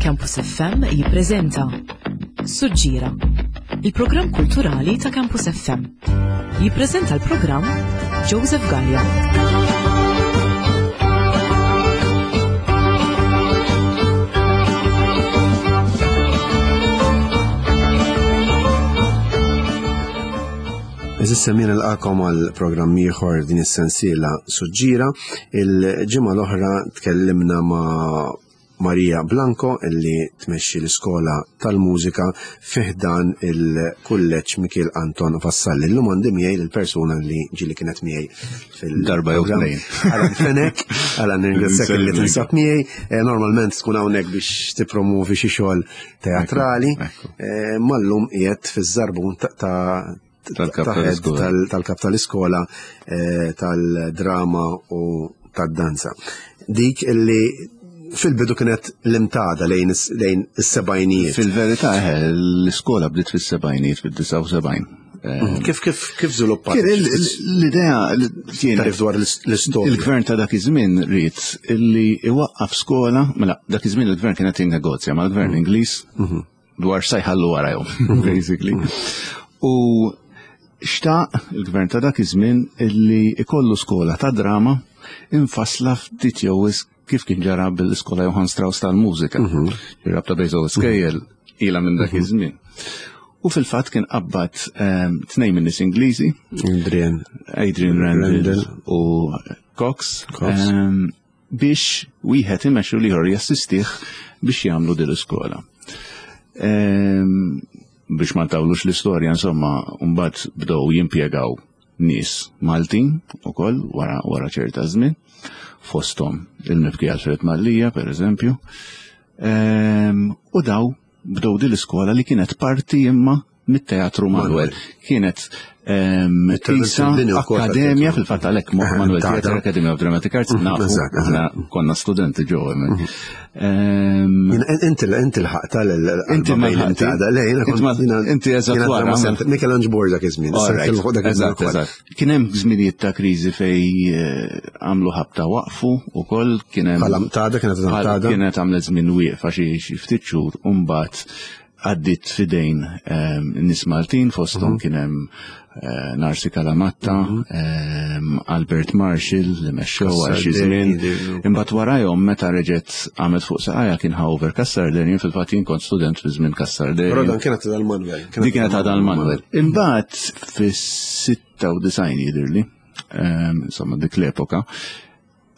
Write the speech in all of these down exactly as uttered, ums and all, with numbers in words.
Campus F M jippreżenta Suġġira, il-programm kulturali ta' Campus F M. Jippreżenta l-programm Joseph Gallia. Għeżież semmiegħa, nilqagħkom għal programm ieħor din is-sensiela Suġġira. Il-ġimgħa l-oħra tkellimna ma' Maria Blanco, illi tmexxi l-iskola tal-mużika fi ħdan il-kulleġġ Mikiel Anton Vassalli. Illum għandi miegħi l-persuna li ġieli kienet miegħi fil Darba jew tnejn. Alan Fenek. Alan, nirringrazzjak li tinsab miegħi. Eh, Normalment tkun hawnhekk biex tippromovi xi xogħol teatrali. Ekku. Eh, Mallum qiegħed fiż-żarbun ta' ta' Tal-kap ta' head tal-iskola. tal- tal-kap tal-iskola eh, tal-drama u tad-danza. Dik illi fil-bidu kienet l-Imtada lejn is- lejn is-sebgħinijiet. Fil-verità, eh, l-iskola bdiet fis-sebgħinijiet, fid-disgħa u sebgħin. Eh, Kif kif kif żviluppat? Kien il- il- L-idea li kien Tarif dwar l- l-istorja. Il-gvern ta' dak iż-żmien ried illi iwaqqaf skola, mela dak iż-żmien il-gvern kien qed jinnegozja mal-gvern Ingliż dwar sa jħallu warajhom, basically. U xtaq il-gvern ta' dak iż-żmien illi ikollu skola ta' drama infasla ftit jew wisq kif kien ġara bil-iskola Johann Strauss tal-mużika. Ir-rabta bejn żewġ skejjel ilha minn dak iż-żmien. U fil-fatt kien qabbad ehm, tnejn minn nies Ingliżi, Adrian. Adrian Randall Randall. u Cox, Cox. ehm, biex wieħed imexxu l-ieħor jassistih biex jagħmlu din l-iskola. Ehm, biex ma ntawlux l-istorja, insomma, mbagħad bdew jimpjegaw nies Maltin ukoll wara wara ċerta żmien, fosthom il-mibki Alfred Mallia, per eżempju. Ehm, u daw bdew din l-iskola li kienet parti imma mit-Teatru Manuel. Kienet ehm, Il-Teatru isa Bini wkoll akkademja tal-teatru. fil-fatt, għalhekk Manuel Tada. Theatre Academy of Dramatic Arts, nafu, eżatt, aħna konna studenti ġew hemmhekk. Ehm, Inti inti l-ħaqta Inti ma lħaqti. Le, jiena Inti kont- ma- jiena- inti eżatt jiena wara, drama ma- center- Michael Ange Borg dak iż-żmien. All right, Dak iż-żmien eżatt, ukoll. eżatt. Kien hemm żminijiet ta' kriżi fej eh, għamlu ħabta waqfu ukoll, kien hemm Bħala Mtada, kienet bħala- Mtada. Kienet għamlet żmien wieqfa xi xi ftit xhur u mbagħad għaddit fidejn ehm, nies Maltin, fosthom kien hemm eh, Narsi Kalamatta, ehm, Albert Marshall li mexxew għal xi żmien. Imbagħad warajhom, meta reġgħet għamet fuq saqajja, kien Hauver Cassar Derian, fil-fatt jien kont student fi żmien Cassar Però Derian. dan kienet dal-Manuel. Di kienet għadha l-Manuel. Imbagħad fis-sitta u disgħin jidhirli, ehm, insomma dik l-epoka,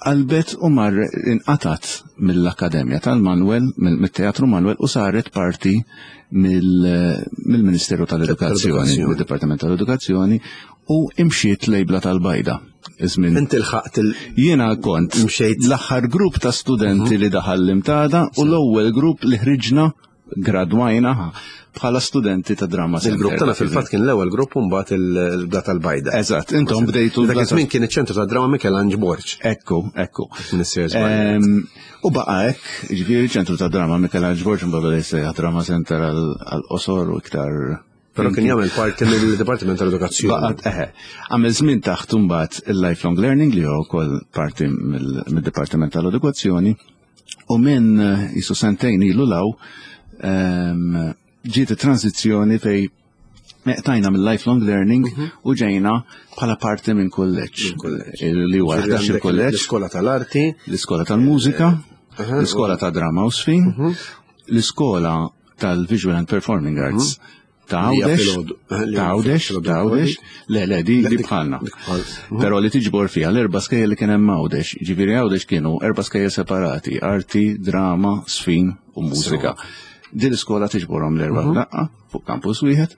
qalbet u mar inqatat mill-Akkademja tal-Manuel, mill-Teatru Manuel, u saret parti mill- mill-Ministeru tal-Edukazzjoni, Tal-Edukazzjoni. mid-Dipartiment tal-Edukazzjoni, u imxiet lejn Blata l-Bajda. Iż-żmien Inti lħaqt il- Jiena kont Mxejt. l-aħħar grupp ta' studenti li daħal l-Imtada u l-ewwel grupp li ħriġna, gradwajna bħala studenti ta' drama center. Il-grupp tagħna fil-fatt kien l-ewwel grupp u mbagħad il-Blata l-Bajda. Eżatt, intom bdejtu Dak iż-żmien kien iċ-ċentru ta' drama Michael Ange Borg. Ekku, ekku. Minister żbaljat. Em, U baqa hekk, ġifieri ċentru ta' drama Michael Ange Borg, mbagħad beda jsejjaħ Drama Center għal-qosor u iktar. Però kien jagħmel parti mill-Dipartiment tal-Edukazzjoni. Baqgħet, eħe. Għamel żmien taħt mbagħad il-Lifelong Learning, li huwa wkoll parti mill- mid-Dipartiment tal-Edukazzjoni, u minn eh, jisu sentejn ilu law em, ġiet it-transizzjoni fej meqtajna mill-Lifelong Learning u ġejna bħala parti minn kulleġġ. Li huwa Ġifieri ħdax għandek il-kulleġġ, l-iskola tal-arti, l-iskola tal-mużika, Aha, l-iskola ta' drama u żfin, l-iskola tal-Visual and Performing Arts ta' Li hija Għawdex, filgħodu. Eh, li ta' hija Għawdex, filgħodu ta' Għawdex, le, le, di, Le, di dik- bħalna. dik bħal. Però li tiġbor fiha l-erba' skejjel li kien hemm Għawdex, ġifieri Għawdex kienu erba' skejjel separati, arti, drama, żfin u mużika. Din l-iskola tiġborhom l-erba' f'daqqa fuq campus wieħed,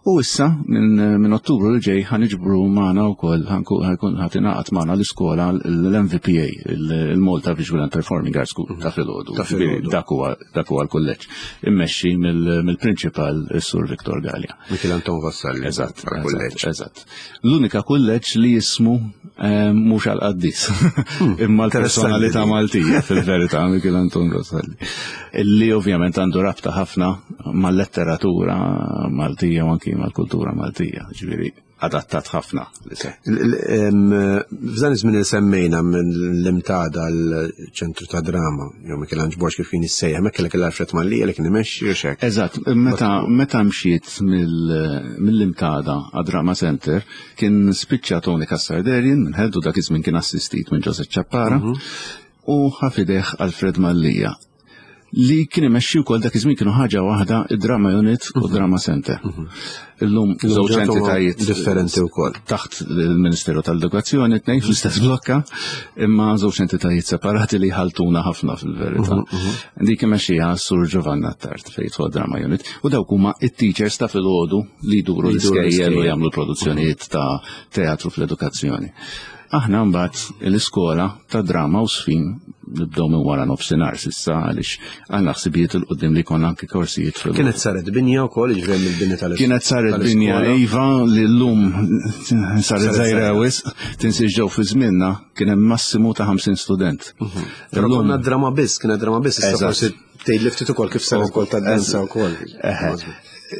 u issa minn minn Ottubru li ġej ħa niġbru magħna wkoll, ħankun ħa tingħaqad magħna l-iskola l-M V P A, il-Malta Visual and Performing Arts School ta' filgħodu. Ta' filgħodu. Dak huwa dak huwa l-kulleġġ immexxi mill- mill-prinċipal is-Sur Viktor Gallia. Michael Anton Vassalli. Eżatt, bħala eżatt, kulleġġ. eżatt. L-unika kulleġġ li jismu eh, mhux għal-qaddis, imma l-personalità Interessanti. Maltija fil-verità, Michael Anton Vassalli. Li ovvjament għandu rabta ħafna mal-letteratura. Maltija u anki mal-kultura Maltija, ġifieri adattat ħafna. F'dan iż-żmien li semmejna mill-Imtada l-ċentru ta' drama, jew Michelangelo Borg kif kien jissejjaħ, hemmhekk kellek l-Alfred Mallia li kien imexxi u xek. Eżatt, meta meta mxiet mill-Imtada għad-Drama Center kien spiċċa Tony Cassar-Derian minn ħeddu, dak iż-żmien kien assistit minn Joseph Ciappara, u ħa f'idejh Alfred Mallia li kien imexxi wkoll. Dak iż-żmien kienu ħaġa waħda, id-Drama Unit u Drama Center. Illum żewġ entitajiet differenti wkoll. Taħt il-Ministeru tal-Edukazzjoni, tnejn fl-istess blokka, imma żewġ entitajiet separati li ħaltuna ħafna fil-verità. Dik imexxija Sur Giovanna Tart fejn jidħol Drama Unit u dawk huma it-teachers ta' filgħodu li jduru l-iskejjel u jagħmlu produzzjonijiet ta' teatru fl-edukazzjoni. Aħna mbagħad l-iskola ta' drama u żfin nibdew minn wara nofsinhar s'issa, għaliex għandna ħsibijiet 'il quddiem li jkollna anke korsijiet fil Kienet saret binja wkoll, ġifieri mill-bini tal Kienet saret binja, iva, li llum saret żgħira wisq, tinsiex ġew fi żmienna kien hemm massimu ta' ħamsin student. Però konna drama biss, kienet drama biss, issa forsi tgħid li ftit ukoll kif saret ukoll tad-danza wkoll.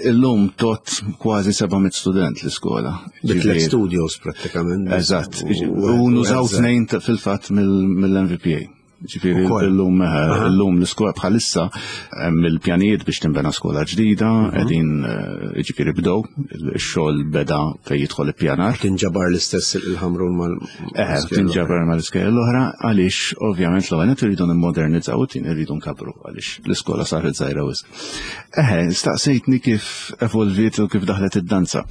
Illum tot kważi seba' mitt student l-iskola. Bi tliet studios prattikament. Eżatt. U nużaw tnejn fil-fatt mill-M V P A. Ġifieri illum illum l-iskola bħalissa hemm il-pjanijiet biex tinbena skola ġdida, qegħdin, ġifieri bdew, ix-xogħol beda fejn jidħol ippjanar. Tinġabar l-istess il-Ħamrun mal Eħe, tinġabar mal-iskejjel l-oħra, għaliex ovvjament l-ewwel nett irridu nimmodernizzaw u tieni irridu nkabru għaliex l-iskola saret żgħira wisq. Eħe, staqsejtni kif evolviet u kif daħlet id-danza.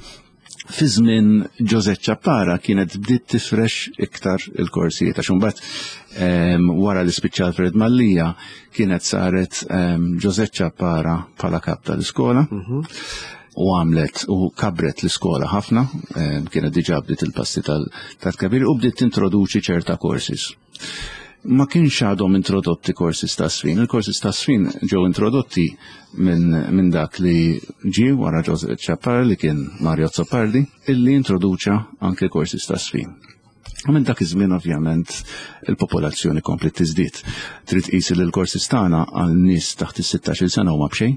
Fi żmien Joseph Ciappara kienet bdiet tifrex iktar il-korsijiet, għax imbagħad wara li spiċċa Alfred Mallia kienet saret Joseph Ciappara bħala kap tal-iskola u għamlet u kabret l-iskola ħafna, kienet diġà bdiet il-passi tal-kabir u bdiet tintroduċi ċerta courses. Ma kienx għadhom introdotti courses ta' żfin. Il-courses ta' żfin ġew introdotti minn min dak li ġie wara Joseph Ciappara, li kien Mario Azzopardi, illi introduċa anke courses ta' żfin. U minn dak iż-żmien ovvjament il-popolazzjoni komplet tiżdied. Trid tqis li l-courses tagħna għal nies taħt is-sittax-il sena huma b'xejn.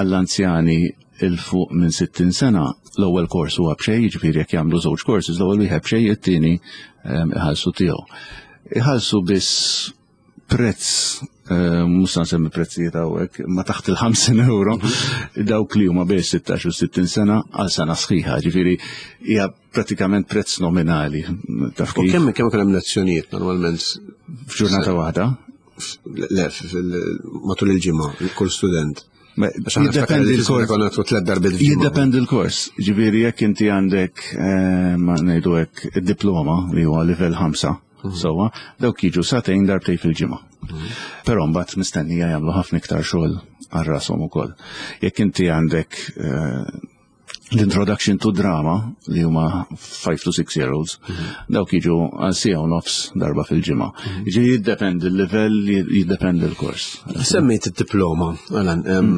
Għall-anzjani 'il fuq minn sittin sena l-ewwel kors huwa b'xejn, jiġifieri jekk jagħmlu żewġ courses, l-ewwel wieħed b'xejn, it-tieni iħallsu tiegħu. Iħallsu biss prezz, mhux se nsemmi prezzijiet hawnhekk, ma taħt il-ħamsin euro dawk li huma bejn sittax u sittin sena għal sena sħiħa, ġifieri hija pratikament prezz nominali. Taf U kif? kemm kemm kien hemm lezzjonijiet normalment? F'ġurnata waħda? Le, matul il-ġimgħa, kull student. Għax aħna niftakar Jiddependi li l-kors. Konna nagħtu tliet darbiet f'ġimgħa. Jiddependi l-kors. Ġifieri jekk inti għandek eh, ma ngħidu hekk, id-diploma li huwa livell ħamsa, sewwa, dawk jiġu sagħtejn darbtejn fil-ġimgħa. Però mbagħad mistennija jagħmlu ħafna iktar xogħol għal rashom ukoll. Jekk inti għandek eh, l-introduction to drama, li huma five to six year olds, dawk jiġu għal siegħa u nofs darba fil-ġimgħa. Ġifieri jiddependi l-livell, jiddependi l-kors. Semmejt id-diploma, Alan, em,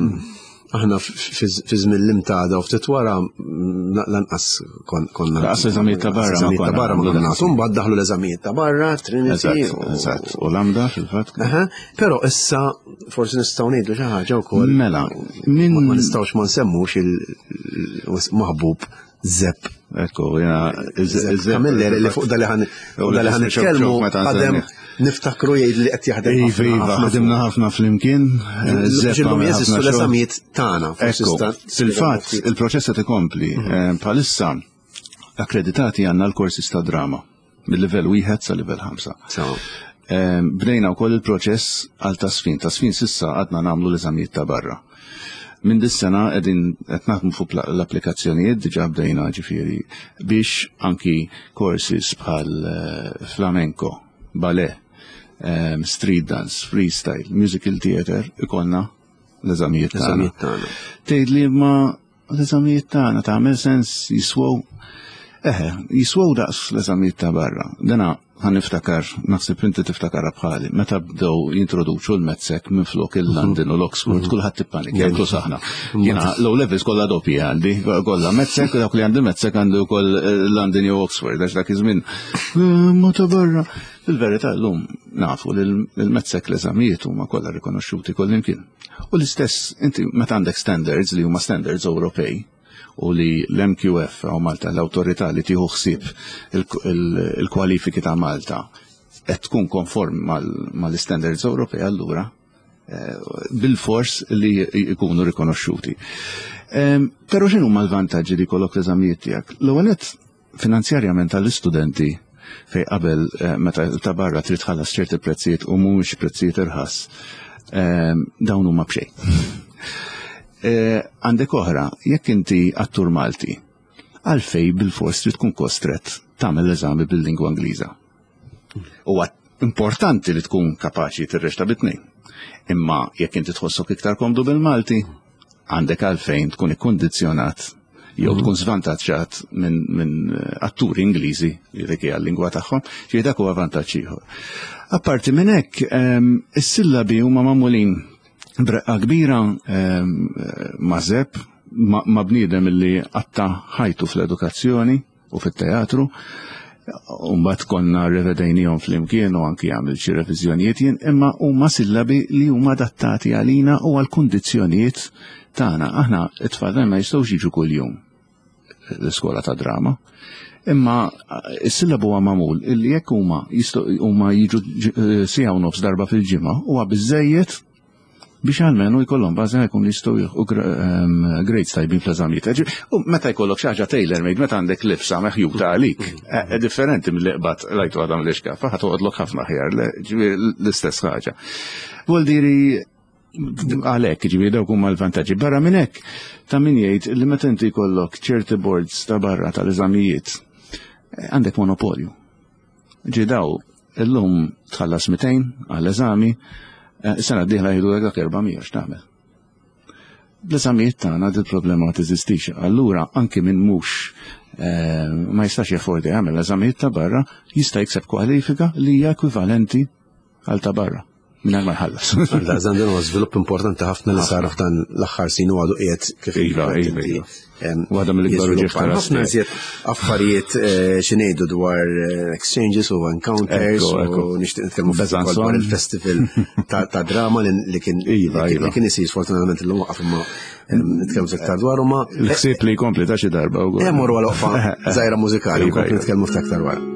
aħna fi żmien l-Imtada u ftit wara mm, lanqas kon- konna. Lanqas eżamijiet ta' barra ma Eżamijiet ta' konna barra ma nagħmlu konna dak. nagħtu. Mbagħad daħlu l-eżamijiet ta' barra, Trinity. Eżatt, u- eżatt. U LAMDA fil-fatt. Aha, però issa forsi nistgħu ngħidu xi ħaġa wkoll. Mela, min Ma ma nistgħux ma nsemmux il-maħbub Zepp. Ekku, jena, Zepp Camilleri, li fuq dali ħan U dali ħan li xok nitkellmu xok meta għadem nsemmi. niftakru jgħid li qed jaħdem. Iva, ħafna, iva, ħafna ħdimna ħafna flimkien. eh, Zepp Ġillum għamel jeżistu ħafna xogħol. l-eżamijiet tagħna. Forsi Ekku, sta- fil-fatt, il-proċess qed ikompli. Eh, Bħalissa, akkreditati għandna l-korsi ta' drama, mill-livell wieħed sa livell ħamsa. Sewa. Eh, Bdejna wkoll il-proċess għal taż-żfin. Taż-żfin s'issa għadna nagħmlu l-eżamijiet ta' barra. Minn dis-sena qegħdin qed naħdmu fuq pla- l-applikazzjonijiet, diġà bdejna ġifieri, biex anki courses bħal eh, flamenco, ballet, em, street dance, freestyle, musical theater ikollna l-eżamijiet tagħna. L-eżamijiet tagħna. Tgħid li ma l-eżamijiet tagħna tagħmel sens, jiswew? Eħe, jiswew daqs l-eżamijiet ta' barra. Dana ħa niftakar, naħseb inti tiftakar bħali, meta bdew jintroduċu l-MATSEC minn flok il-London u l-Oxford, kulħadd ippanikja, inkluż aħna. Jiena l-O levels kollha doppji għandi, kollha MATSEC, dawk li għandi MATSEC għandu wkoll eh, London jew Oxford, għax dak iż-żmien eh, ma ta' barra. Fil-verità llum nafu li l-METSEC l-eżamijiet huma kollha rikonoxxuti kullimkien. U l-istess inti meta għandek standards li huma standards Ewropej u li l-M Q F u Malta, l-awtorità li tieħu ħsieb il-kwalifiki ta' Malta, qed tkun konform mal-standards Ewropej, allura eh, bil-fors li jkunu rikonoxxuti. Però x'inhu l-vantaġġi li jkollok l-eżamijiet tiegħek? L-ewwel, finanzjarjament għall-istudenti, fej qabel eh, meta ta' barra trid tħallas ċerti prezzijiet u mhumiex prezzijiet irħas, dawn huma b'xejn. Eh, għandek oħra, jekk inti attur Malti, għalfej bil-fors trid tkun kostret tagħmel l-eżami bil-lingwa Ingliża? Huwa importanti li tkun kapaċi tirreċta bit-tnejn. Imma jekk inti tħossok iktar komdu bil-Malti, għandek għalfejn tkun ikkondizzjonat jew tkun svantaġġat minn min atturi Ingliżi li dik hija l-lingwa tagħhom, ġifieri dak huwa vantaġġ ieħor. Apparti minn hekk, is-sillabi huma magħmulin b'reqqa kbira ma' żeb ma' bniedem li qatta' ħajtu fl-edukazzjoni u fit-teatru. Umbat konna revedejnijom fl-imkien u anki għamil xi reviżjonijiet jien, imma huma sillabi li huma adattati għalina u għal kundizzjonijiet tagħna. Aħna it-tfal ma jistgħux jiġu kuljum l-iskola ta' drama. Imma is-sillabu huwa magħmul illi jekk huma huma jiġu siegħa u nofs darba fil-ġimgħa, huwa biżejjed biex għalmenu jkollhom bażi jkun jistgħu jieħu grades tajbin fl-eżamijiet. U meta jkollok xi ħaġa tailor made, meta għandek libsa meħjuta għalik, eh, differenti mill-li qbad lajtu għadam l-ixkafa, ħa toqgħodlok ħafna ħjar, l-istess ħaġa. Vuol diri għalhekk, ġifieri dawk huma l-vantaġġi. Barra minn hekk, ta' min jgħid li meta inti jkollok ċerti boards ta' barra tal-eżamijiet, eh, għandek monopolju. Ġi daw, illum tħallas mitejn għall-eżami, eh, sena d-dieħla jgħidu dak erba' mija, x'tagħmel? L-eżamijiet tagħna dil problema ma teżistix. Allura anki minn mhux eh, ma jistax jaffordi jagħmel l-eżamijiet ta' barra, jista' jikseb kwalifika li hija ekwivalenti għal ta' barra mingħajr ma jħallas. Għalla, dan huwa żvilupp importanti ħafna li sar f'dan l-aħħar snin u għadu qiegħed kif Iva, iva, iva. Waħda mill-ikbar uġieħ ta' Ħafna iżjed affarijiet eh, xi ngħidu dwar eh, exchanges u encounters u nixtieq nitkellmu dwar il-festival ta' drama li kien Iva, li kien isir, sfortunatament illum waqaf, imma nitkellmu iktar dwar ma Il-ħsieb li jkompli ta' xi darba wkoll. Hemm morru għal waqfa żgħira mużikali, nkompli nitkellmu ftit aktar wara.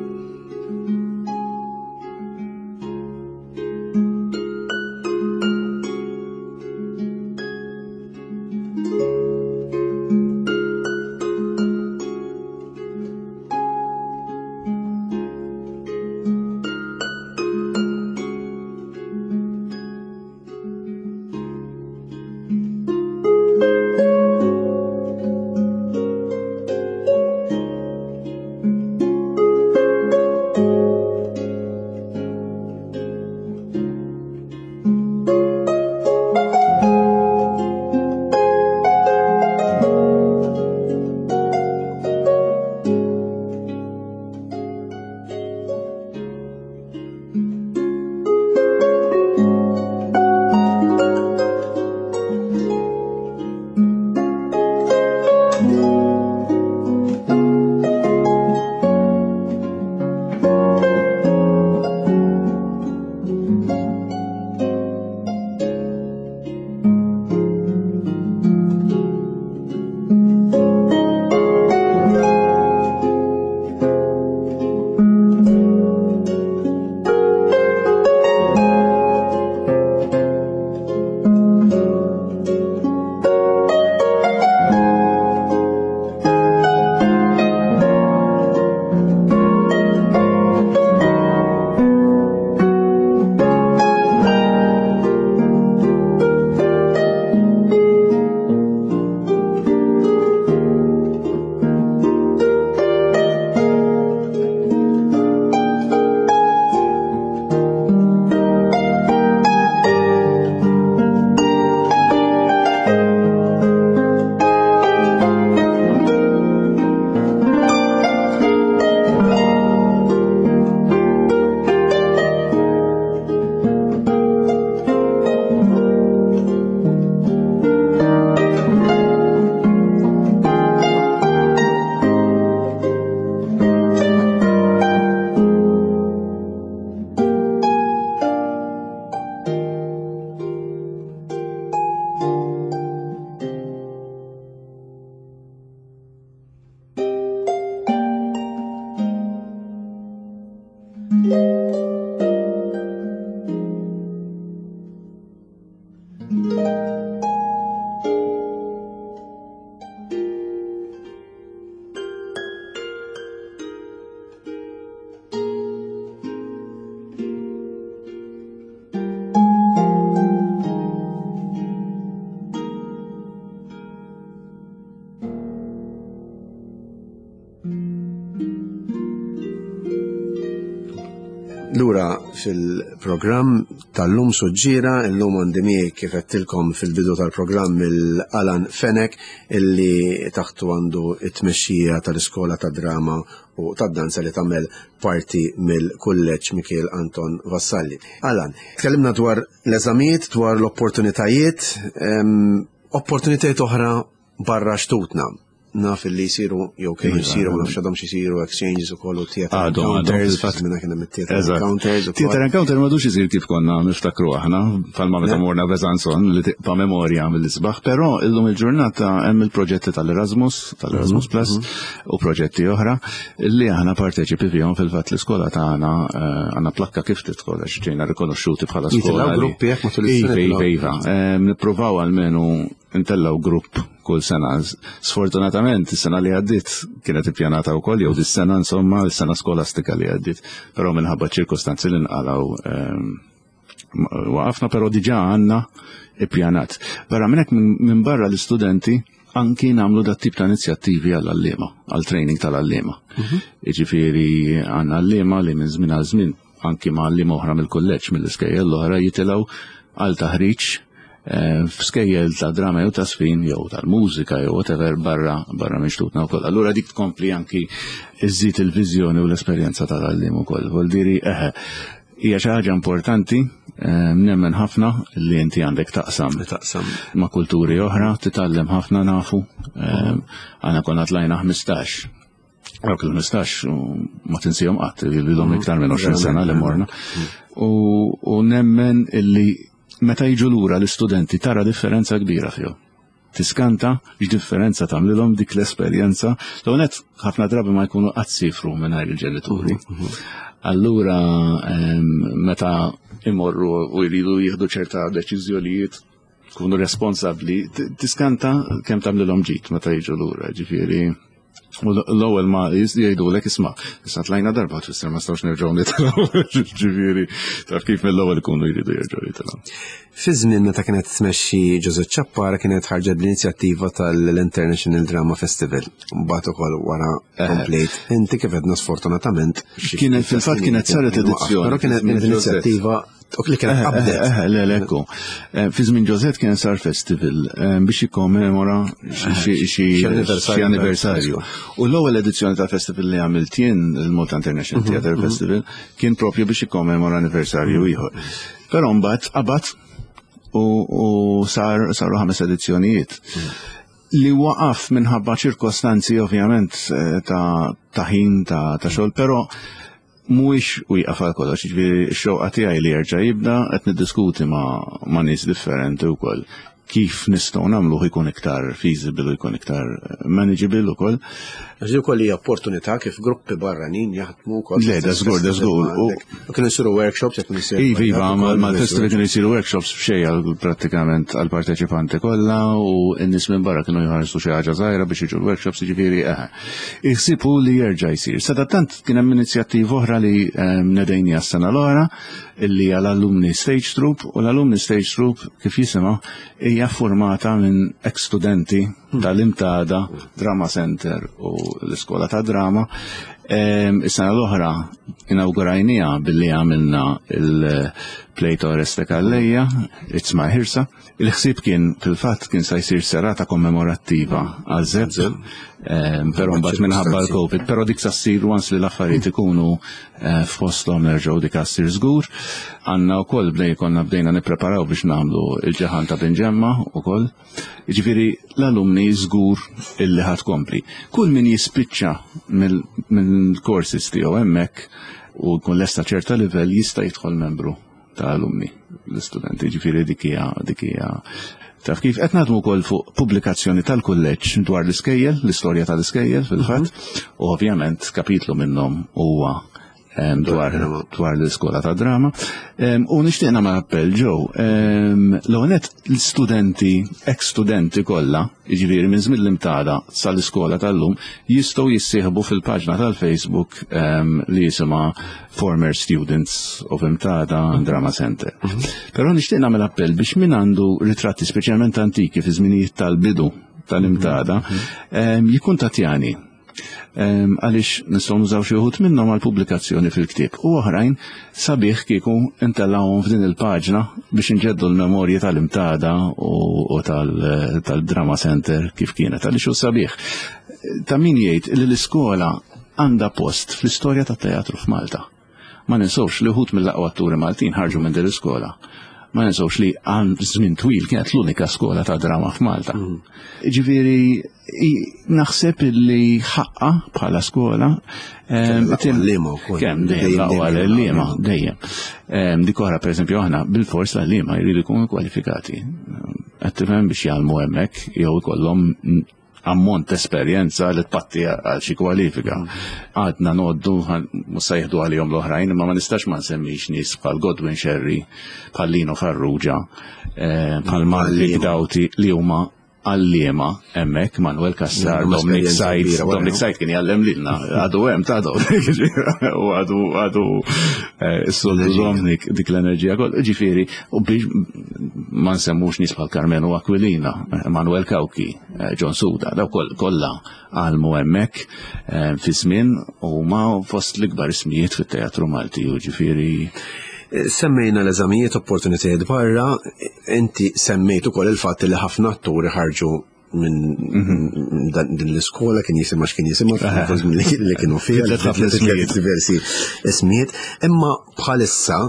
Lura fil-programm tal-lum Suġġiera, illum għandi miegħi kif għedtilkom fil-bidu tal-programm il-Alan Fenech illi taħtu għandu it-tmexxija tal-Iskola ta' Drama u tad-Danza li tagħmel parti mill-Kulleġġ Mikiel Anton Vassalli. Alan, tkellimna dwar l-eżamijiet, dwar l-opportunitajiet, opportunitajiet oħra barra xtutna. Naf li jisiru, jew kienu jisiru, ma nafx għadhom jisiru exchanges u kollu theater encounters, minna kien hemm theater encounters. Theater encounter m'għadux isir kif konna niftakru aħna, palma meta morna Besançon li tibqa' memorja mill-isbaħ, però illum il-ġurnata hemm il-proġetti tal-Erasmus, tal-Erasmus Plus u proġetti oħra li aħna parteċipi fihom. Fil-fatt l-iskola tagħna għandna plakka kif tidħol għax ġejna rikonoxxuti bħala skola. Gruppi jekk matul is-sena. Iva, nippruvaw almenu intellaw grupp kull sena. Sfortunatament, is-sena li għaddit kienet ippjanata wkoll, jew dis-sena insomma, is-sena skolastika li għaddit, però minħabba ċirkostanzi li nqalgħu waqafna, però diġà għandna ippjanat. Barra minn hekk minn barra l-istudenti anki nagħmlu dat tip ta' inizjattivi għall-għalliema, għall-training tal-għalliema. Jiġifieri għandna għalliema li minn żmien għal żmien anki ma' għalliema oħra mill-kulleġġ mill-iskejjel l-oħra jitilgħu għal taħriġ f'skejjel ta' drama jew ta' sfin jew tal-mużika jew whatever barra barra minn xtutna wkoll. Allura dik tkompli anki iżżid il-viżjoni u l-esperjenza tal-għalliem ukoll. Vuol diri eħe, hija xi ħaġa importanti, nemmen ħafna li inti għandek taqsam taqsam ma' kulturi oħra, titgħallem ħafna nafu. Aħna konna tlajna ħmistax. Dawk il-ħmistax ma tinsihom qatt, ilhom iktar minn għoxrin sena li morna. U nemmen illi meta jiġu lura l-istudenti tara differenza kbira fihom. Tiskanta x'differenza tagħmlilhom dik l-esperjenza. L-għonet ħafna drabi ma jkunu qatt sifru mingħajr il-ġenituri. Allura meta imorru u jridu jieħdu ċerta deċiżjonijiet kunu responsabbli, tiskanta kemm tagħmlilhom ġid meta jiġu lura, ġifieri. U l-ewwel ma jgħidulek isma' issa tlajna darba tfisser ma stawx nerġgħu nitilgħu, ġifieri taf kif mill-ewwel ikunu jridu jerġgħu jitilgħu. Fi żmien meta kienet tmexxi Josette Ciappara kienet ħarġet bl-inizjattiva tal-International Drama Festival. Mbagħad ukoll wara komplejt. Inti kif għedna sfortunatament. Kienet fil-fatt kienet saret edizzjoni. Però kienet inizjattiva li kienet qabdet. Le, le, ekku. Fi żmien Josette kien sar festival biex jikkommemora xi anniversarju. U l-ewwel edizzjoni ta' festival li għamilt jien, il-Malta International Theatre Festival, kien propju biex jikkommemora anniversarju ieħor. Però mbagħad qabad u sar saru ħames edizzjonijiet. Li waqaf minħabba ċirkostanzi ovvjament ta' ħin ta' xogħol, però mhuwiex wieqaf għal kollox, jiġifieri x-xewqa tiegħi li jerġa' jibda qed niddiskuti ma' nies differenti wkoll kif nistgħu nagħmluh ikun iktar feasible u jkun iktar manageable ukoll. Għax ukoll hija opportunità kif gruppi barranin jaħdmu wkoll. Le, da żgur, da żgur. U kienu jsiru workshops jekk isiru. Iva, iva, mal-festival kienu jsiru workshops b'xejn prattikament għall-parteċipanti kollha u n-nies minn barra kienu jħarsu xi ħaġa żgħira biex jiġu l-workshops, jiġifieri eħe. Iħsibu li jerġa' jsir. Sadattant kien hemm inizjattiva oħra li nedejnija s-sena l-oħra illi hija l-Alumni Stage Troupe, u l-Alumni Stage Troupe kif jisimha hija formata minn ex-studenti tal-Imtada, Drama Center u l-Iskola ta' Drama. Is-sena l-oħra inawgurajnija billi għamilna il-play ta' Oreste Calleja, It's My Hirsa. Il-ħsieb kien fil-fatt kien sa jsir serata kommemorattiva għal Zepp, però mbagħad minħabba l-Covid, però dik sa ssir once li l-affarijiet ikunu f'posthom nerġgħu dik ssir żgur. Għandna wkoll bdej konna bdejna nippreparaw biex nagħmlu il-ġaħan ta' Binġemma wkoll. Jiġifieri l-alumni żgur illi ħadd kompli. Kull min jispiċċa mill-courses tiegħu hemmhekk u jkun lesta ċerta livell jista' jidħol membru ta' alumni l-istudenti, ġifieri dik hija dik hija taf kif qed naħdmu wkoll fuq pubblikazzjoni tal-kulleġġ dwar l-iskejjel, l-istorja tal-iskejjel fil-fatt, u ovvjament kapitlu minnhom huwa dwar dwar l-iskola ta' drama. U nixtieq nagħmel appell ġew. L-ewwel l-studenti, ex-studenti kollha, jiġifieri minn żmien l-Imtada sal-iskola tal-lum, jistgħu jissieħbu fil-paġna tal-Facebook li jisimha Former Students of Imtada Drama Center. Però nixtieq nagħmel appell biex min għandu ritratti speċjalment antiki fi żminijiet tal-bidu tal-Imtada jikkuntattjani, għaliex nistgħu nużaw xi wħud minnhom għal pubblikazzjoni fil-ktieb u oħrajn sabiħ kieku intellgħuhom f'din il-paġna biex inġeddu l-memorji tal-Imtada u tal-Drama Center kif kienet, għaliex hu sabiħ. Ta' min jgħid li l-iskola għandha post fl-istorja tat-teatru f'Malta. Ma ninsewx li wħud mill-aqwa atturi Maltin ħarġu minn din l-iskola. Ma ninsewx li għal żmien twil kienet l-unika skola ta' drama f'Malta. Ġifieri naħseb li ħaqqa bħala skola. L-għalliema wkoll. Kemm dejjem l-aqwa l-għalliema, dejjem. Dik oħra, pereżempju, aħna bil-fors l-għalliema jridu jkunu kwalifikati. Qed tifhem, biex jgħallmu hemmhekk jew ikollhom ammont esperjenza li tpatti għal xi kwalifika. Għadna noddu, mhux se jieħdu għalihom l-oħrajn, imma ma nistax ma nsemmix nies bħal Godwin Sherry, bħal Lino Farrugia, bħal Marvik Dawti li huma għalliema hemmhekk, Manuel Cassar, Dominic Said, Dominic Said kien jgħallem lilna, għadu hemm ta' Dominic, u għadu għadu s-soltu Dominic dik l-enerġija koll, ġifieri, u biex ma nsemmux nies bħal Carmenu Aquilina, Manuel Cauchi, John Suda, daw kollha għallmu hemmhekk fi żmien u ma fost l-ikbar ismijiet fit-teatru Malti, u ġifieri. Semmejna l-eżamijiet, opportunitajiet barra, inti semmejt ukoll il-fatt li ħafna atturi ħarġu minn din l-iskola, kien jisimha x'kien jisimha li kienu fiha, diversi ismijiet, imma bħalissa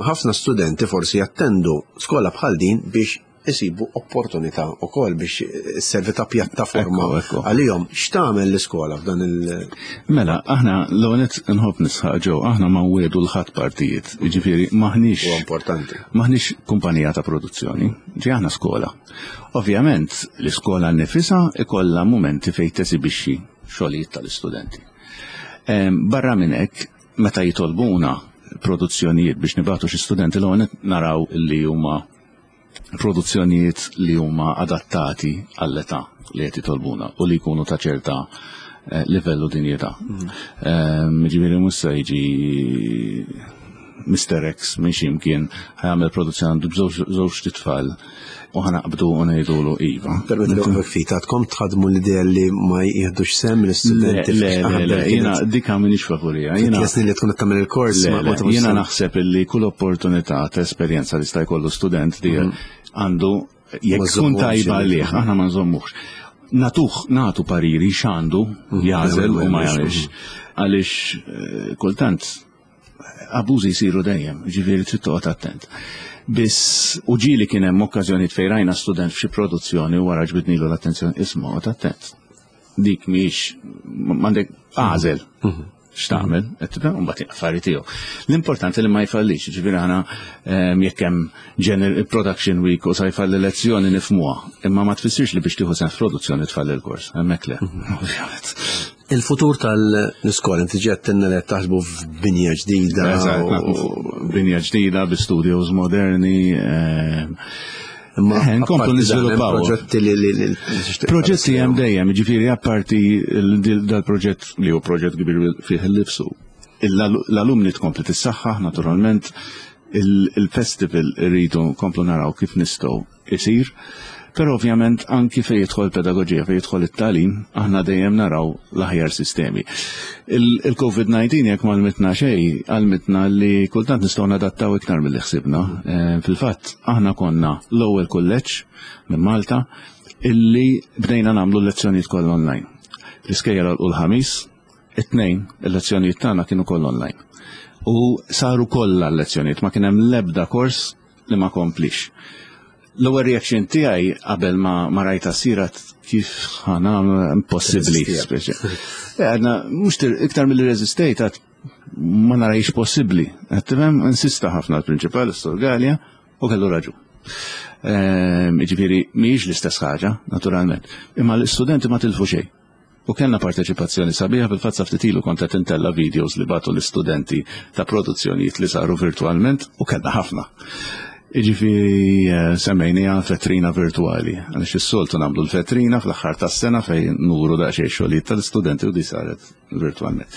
ħafna studenti forsi jattendu skola bħal din biex isibu opportunità ukoll, biex servi ta' pjattaforma għalihom. X'tagħmel l-iskola f'dan il- Mela, aħna l-għonet nħobb nisħaq ġew, aħna ma nwiegħdu 'l ħadd partijiet, jiġifieri maħniex. Huwa importanti. Maħniex kumpanija ta' produzzjoni, ġi aħna skola. Ovvjament, l-iskola nifisha ikollha momenti fejn tesibixxi xogħlijiet tal-istudenti. Barra minn hekk, meta jitolbuna produzzjonijiet biex nibagħtu xi studenti, l-għonet naraw li huma produzzjonijiet li huma adattati għall-età li qed jitolbuna u li jkunu ta' ċerta eh, livellu dinjità. Mm. Ġifieri mhux se jiġi Mister X minn ximkien ħa jagħmel produzzjoni, għandu żewġ titfal, u ħa naqbdu u ngħidulu iva. Permetti li ftit, għadkom tħadmu l-idea li ma jieħdux sehem l-istudenti? Le, le, le, jiena dika m'iniex favorija. Jiena li tkun tagħmel il-kors. Jiena naħseb li kull opportunità ta' esperjenza li sta jkollu student di mhm. għandu, jekk tkun tajba għalih, aħna ma nżommux. Natuh, natu pariri x'għandu mhm. jagħżel u ma jagħmilx. Għaliex eh, kultant abużi jsiru dejjem, ġifieri trid toqgħod attent. Biss u ġieli kien hemm okkażjoni fejn rajna student f'xi produzzjoni u wara ġbidnilu l-attenzjoni, isma', oqgħod attent. Dik mhix m'għandek għażel mhm. x'tagħmel, qed tifhem, u mbagħad affari tiegħu. L-importanti li ma jfallix, ġifieri aħna ehm, jekk hemm general production week u sa jfalli lezzjoni nifhmuha, imma ma tfissirx li biex tieħu sehem f'produzzjoni tfalli l-kors, hemmhekk le, mhm. ovvjament. Il-futur tal-iskola, inti ġettinna li taħsbu f'binja ġdida. Binja ġdida bi studios moderni. Ehm, Imma Eh, nkomplu niżviluppaw. Proġetti li li Proġetti hemm dejjem, ġifieri apparti dal-proġett li hu proġett kbir fih il-lifsu. L-alumni tkompli tissaħħaħ naturalment, il-festival irridu nkomplu naraw kif nistgħu isir, però ovvjament anki fejn jidħol pedagogija, fejn jidħol it-tagħlim, aħna dejjem naraw l-aħjar sistemi. Il-COVID disa jekk m'għallmitna xejn, għallmitna li kultant nistgħu nadattaw iktar milli ħsibna. Eh, fil-fatt, aħna konna l-ewwel kulleġġ minn Malta illi bdejna nagħmlu lezzjonijiet kollha online. L-iskejjel u l-Ħamis, it-Tnejn, il-lezzjonijiet tagħna kienu kollha online. U saru kollha l-lezzjonijiet, ma kien hemm l-ebda kors li ma komplix. L-ewwel reaction tiegħi qabel ma, ma rajta sirat kif ħa nagħmlu, impossibbli speċi. Eh, għadna mhux iktar milli reżistejt, għad ma narajx possibbli. Qed tifhem, insista ħafna l-prinċipal, s-Sur Gallia, u kellu raġun. Ehm, Ġifieri mhijiex l-istess ħaġa, naturalment. Imma l-istudenti ma tilfu xejn. U kellna parteċipazzjoni sabiħa. Fil-fatt sa ftit ilu kont qed intella videos li bagħtu l-istudenti ta' produzzjonijiet li saru virtualment u kellna ħafna. Iġifieri eh, semmejniha vetrina virtuali, għaliex is-soltu nagħmlu l-vetrina fl-aħħar tas-sena fejn nuru daqsxejn xogħlijiet tal-istudenti u di saret virtualment.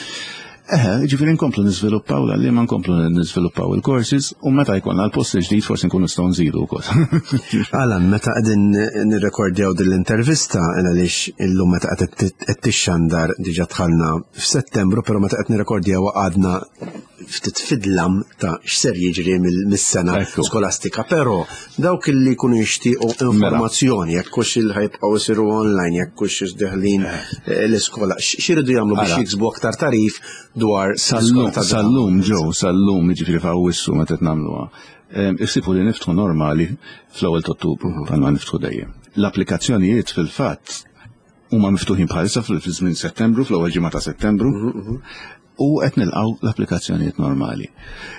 Eħe, ġifieri nkomplu niżviluppaw l-għalliema, nkomplu niżviluppaw il-courses u meta jkollna l-post ġdid forsi nkunu nistgħu nżidu wkoll. Alan, meta qegħdin nirrekordjaw din l-intervista, għaliex illum meta qed tixxandar diġà dħalna f'Settembru, però meta qed nirrekordjaw għadna ftit fid-dlam ta' x'ser jiġri mis-sena skolastika, però dawk li jkunu jixtiequ informazzjoni, jekk hux il ħa jibqgħu jsiru online, jekk hux deħlin eh, l-iskola, x'iridu jagħmlu biex jiksbu aktar tagħrif dwar Sal-lum, sal-lum ġew, sal-lum, jiġifieri f'Awwissu meta qed nagħmluha. Issibu li niftħu normali fl-ewwel Ottubru, bħalma niftħu dejjem. L-applikazzjonijiet fil-fatt huma miftuħin bħalissa fil-żmien Settembru, fl-ewwel ġimgħa ta' Settembru, u qed nilqgħu l-applikazzjonijiet normali.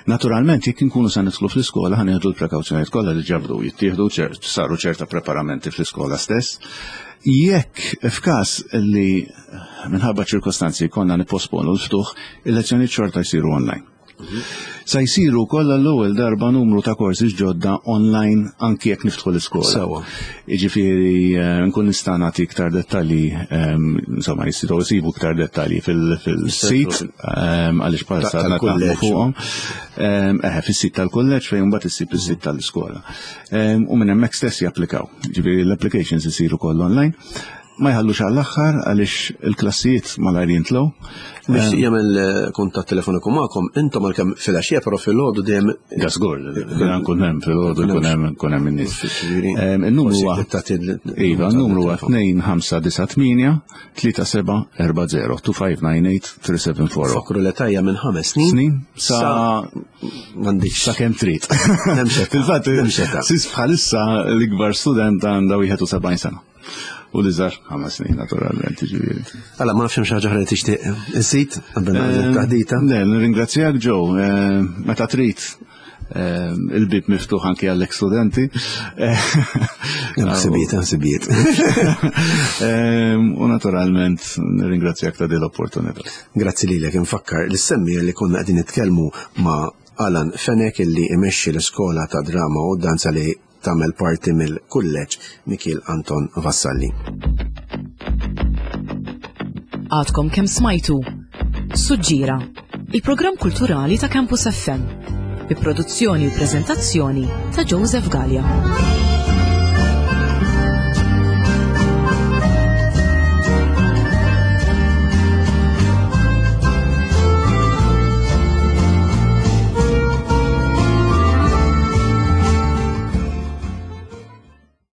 Naturalment, jekk inkunu se nidħlu fl-iskola, ħa nieħdu l-prekawzjonijiet kollha li ġabdu jittieħdu, saru ċerta preparamenti fl-iskola stess. Jekk f'każ li minħabba ċirkostanzi konna nipposponu l-ftuħ, il-lezzjoni xorta jsiru online. Sa jsiru kollha l-ewwel darba numru ta' korsi ġodda online anki jekk niftħu l-iskola. Sewa. Jiġifieri eh, nkun nista' nagħti iktar dettalji, ehm, insomma jistgħu jsibu iktar dettalji fil-sit ehm, għaliex bħalissa għadna naħdmu fuqhom. Ehm, eħe, fis-sit tal-kulleġġ fejn mbagħad issib is-sit tal-iskola. U minn hemmhekk stess japplikaw. Ġifieri l-applications isiru kollha online, ma jħallux għall-aħħar għaliex il-klassijiet malajr jintlew. Biex jagħmel eh, kuntatt telefoniku magħkom, intom għalkemm filgħaxija, però filgħodu dejjem? Żgur, nkun hemm filgħodu, jkun hemm nkun hemm in-nies. Il-numru huwa Iva, il-numru huwa tnejn ħamsa disa' tmienja tlieta seba' erba' żero, tnejn ħamsa disa' tmienja tlieta seba' erba' żero. Fakru l-età hija minn ħames snin. Snin sa m'għandix. Sa kemm trid. Fil-fatt, sis bħalissa l-ikbar student għandha wieħed u sebgħin sena. U l-iżgħar ħames snin naturalment, ġifieri. Alla, ma nafx xi ħaġa li tixtieq iżid qabel taħdita. Le, nirringrazzjak Joe, eh, meta trid eh, il-bib miftuħ anki għall studenti. Ħsibiet, ħsibiet. U naturalment nirringrazzjak ta' din l-opportunità. Grazzi lilek. Infakkar lis-semmiegħa li konna qegħdin nitkellmu ma' Alan Fenech illi imexxi l-iskola ta' drama u danza li tagħmel parti mill-kulleġġ Mikiel Anton Vassalli. Għadkom kemm smajtu Suġġira, il-programm kulturali ta' Campus F M, bi produzzjoni u prezentazzjoni ta' Joseph Gallia.